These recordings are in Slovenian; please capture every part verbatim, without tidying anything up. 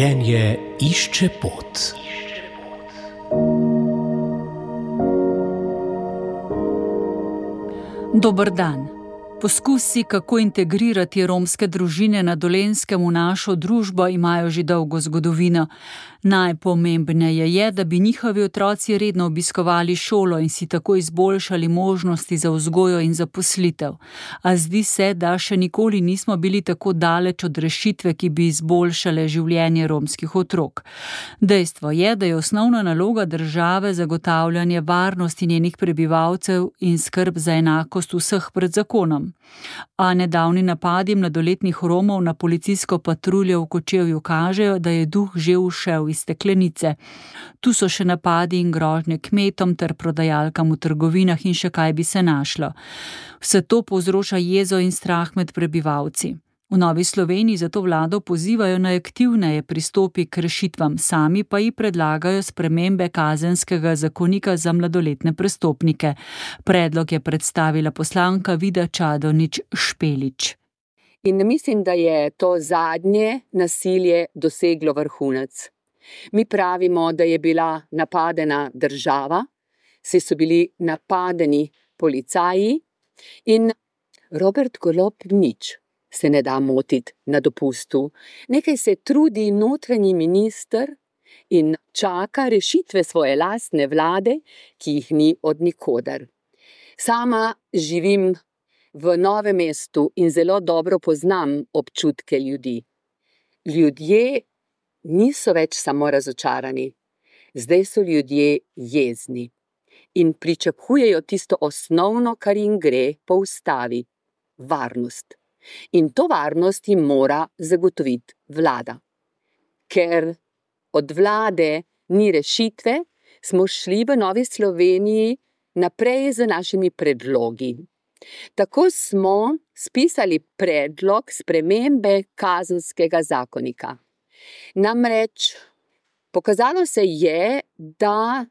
Življenje išče pot. Dober dan. Poskusi, kako integrirati romske družine na Dolenjskem v našo družbo, imajo že dolgo zgodovino. Najpomembneje je, da bi njihovi otroci redno obiskovali šolo in si tako izboljšali možnosti za vzgojo in zaposlitev. A zdi se, da še nikoli nismo bili tako daleč od rešitve, ki bi izboljšale življenje romskih otrok. Dejstvo je, da je osnovna naloga države zagotavljanje varnosti njenih prebivalcev in skrb za enakost vseh pred zakonom. A nedavni napadi mladoletnih Romov na policijsko patruljo v Kočevju kažejo, da je duh že ušel iz steklenice. Tu so še napadi in grožnje kmetom ter prodajalkam v trgovinah in še kaj bi se našlo. Vse to povzroča jezo in strah med prebivalci. V Novi Sloveniji zato vlado pozivajo naj aktivneje pristopi k rešitvam, sami pa ji predlagajo spremembe kazenskega zakonika za mladoletne prestopnike. Predlog je predstavila poslanka Vida Čadonič Špelič. In mislim, da je to zadnje nasilje doseglo vrhunec. Mi pravimo, da je bila napadena država, saj so bili napadeni policaji in Robert Golob nič se ne da motiti na dopustu. Nekaj se trudi notranji minister in čaka rešitve svoje lastne vlade, ki jih ni od nikoder. Sama živim v Novem mestu in zelo dobro poznam občutke ljudi. Ljudje niso več samo razočarani, zdaj so ljudje jezni in pričakujejo tisto osnovno, kar jim gre po ustavi, varnost. In to varnost jim mora zagotoviti vlada. Ker od vlade ni rešitve, smo šli v Novi Sloveniji naprej z našimi predlogi. Tako smo spisali predlog spremembe kazenskega zakonika. Namreč pokazalo se je, da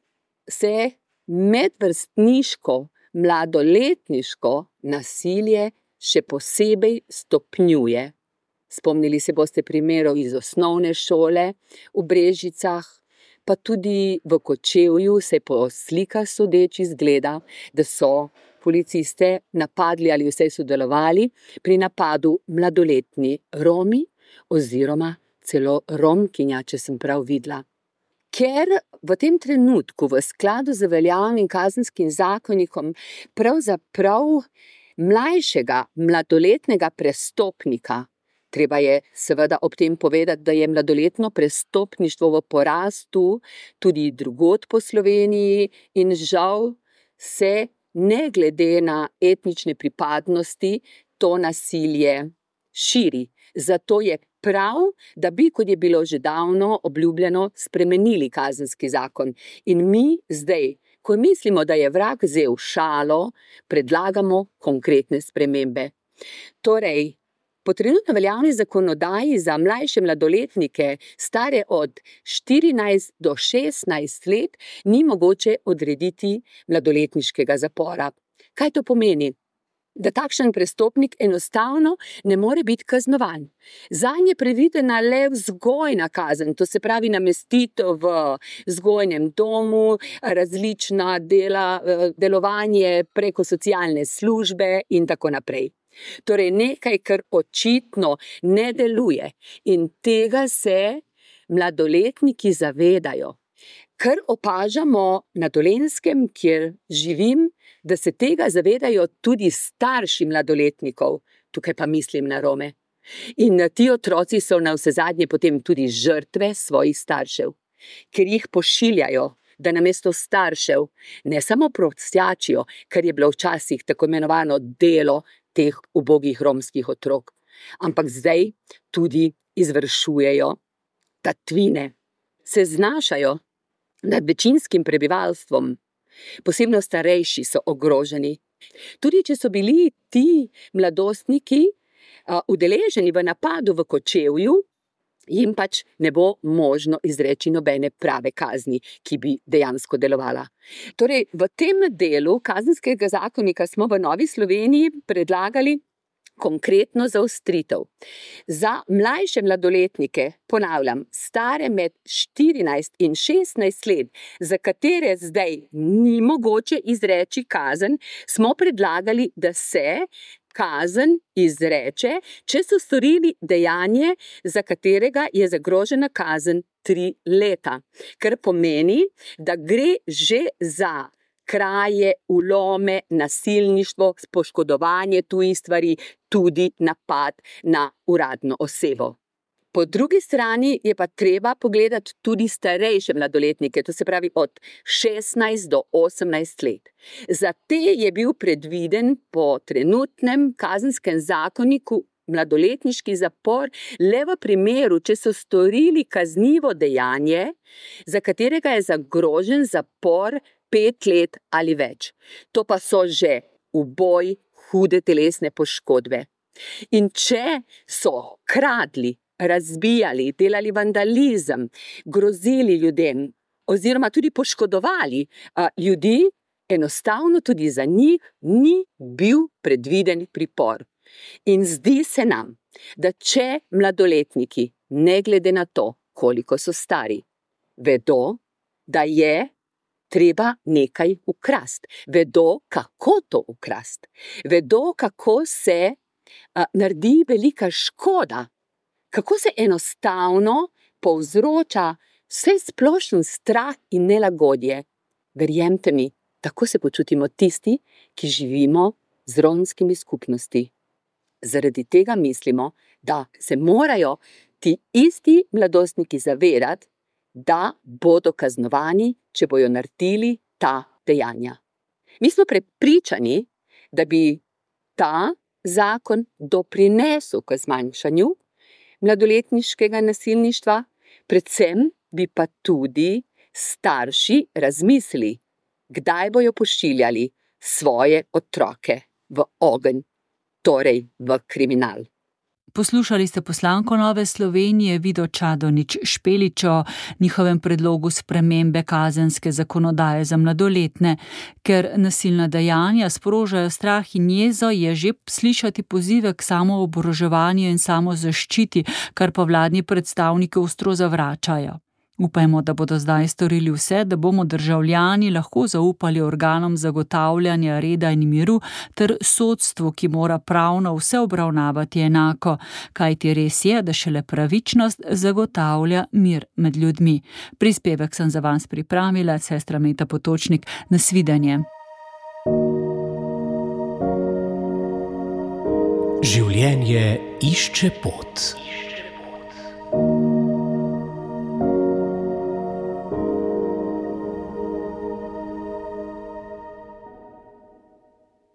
se medvrstniško, mladoletniško nasilje še posebej stopnjuje. Spomnili se boste primerov iz osnovne šole v Brežicah, pa tudi v Kočevju se po slikah sodeč izgleda, da so policiste napadli ali vsaj sodelovali pri napadu mladoletni Romi oziroma celo Romkinja, če sem prav videla. Ker v tem trenutku v skladu z veljavnim kazenskim zakonikom pravzaprav mlajšega mladoletnega prestopnika, treba je seveda ob tem povedati, da je mladoletno prestopništvo v porastu tudi drugod po Sloveniji in žal se ne glede na etnične pripadnosti to nasilje širi. Zato je prav, da bi, kot je bilo že davno obljubljeno, spremenili kazenski zakon. In mi zdaj, ko mislimo, da je vrag vzel šalo, predlagamo konkretne spremembe. Torej, po trenutno veljavni zakonodaji za mlajše mladoletnike, stare od štirinajst do šestnajst let, ni mogoče odrediti mladoletniškega zapora. Kaj to pomeni? Da takšen prestopnik enostavno ne more biti kaznovan. Zanj je predvidena le vzgojna kazen, to se pravi namestitev v vzgojnem domu, različna dela, delovanje preko socialne službe in tako naprej. Torej nekaj, kar očitno ne deluje in tega se mladoletniki zavedajo. Kar opažamo na Dolenjskem, kjer živim, da se tega zavedajo tudi starši mladoletnikov, tukaj pa mislim na Rome. In ti otroci so navsezadnje potem tudi žrtve svojih staršev, ker jih pošiljajo, da namesto staršev ne samo prosjačijo, kar je bilo včasih tako imenovano delo teh ubogih romskih otrok, ampak zdaj tudi izvršujejo tatvine, se znašajo nad večinskim prebivalstvom. Posebno starejši so ogroženi. Tudi če so bili ti mladostniki a, udeleženi v napadu v Kočevju, jim pač ne bo možno izreči nobene prave kazni, ki bi dejansko delovala. Torej, v tem delu kazenskega zakonika smo v Novi Sloveniji predlagali konkretno zaostritev. Za mlajše mladoletnike, ponavljam, stare med štirinajst in šestnajst let, za katere zdaj ni mogoče izreči kazen, smo predlagali, da se kazen izreče, če so storili dejanje, za katerega je zagrožena kazen tri leta. Kar pomeni, da gre že za kraje, vlome, nasilništvo, poškodovanje tujih stvari, tudi napad na uradno osebo. Po drugi strani je pa treba pogledati tudi starejše mladoletnike, to se pravi od šestnajst do osemnajst let. Za te je bil predviden po trenutnem kazenskem zakoniku mladoletniški zapor le v primeru, če so storili kaznivo dejanje, za katerega je zagrožen zapor pet let ali več. To pa so že uboj, hude telesne poškodbe. In če so kradli, razbijali, delali vandalizem, grozili ljudem oziroma tudi poškodovali a, ljudi, enostavno tudi za njih ni bil predviden pripor. In zdi se nam, da če mladoletniki, ne glede na to, koliko so stari, vedo, da je treba nekaj ukrasti, vedo, kako to ukrasti, vedo, kako se a, naredi velika škoda, kako se enostavno povzroča vse splošen strah in nelagodje. Verjemite mi, tako se počutimo tisti, ki živimo z romskimi skupnosti. Zaradi tega mislimo, da se morajo ti isti mladostniki zavedati, da bodo kaznovani, če bojo naredili ta dejanja. Mi smo prepričani, da bi ta zakon doprinesel k zmanjšanju mladoletniškega nasilništva, predvsem bi pa tudi starši razmislili, kdaj bojo pošiljali svoje otroke v ogenj, torej v kriminal. Poslušali ste poslanko Nove Slovenije Vido Čadonič Špelič o njihovem predlogu spremembe kazenske zakonodaje za mladoletne. Ker nasilna dejanja sprožajo strah in jezo, je že slišati pozive k samooboroževanju in samozaščiti, kar pa vladni predstavniki ostro zavračajo. Upajmo, da bodo zdaj storili vse, da bomo državljani lahko zaupali organom zagotavljanja reda in miru ter sodstvu, ki mora pravno vse obravnavati enako, kajti res je, da šele pravičnost zagotavlja mir med ljudmi. Prispevek sem za vas pripravila, sestra Meta Potočnik. Nasvidenje. Življenje išče pot.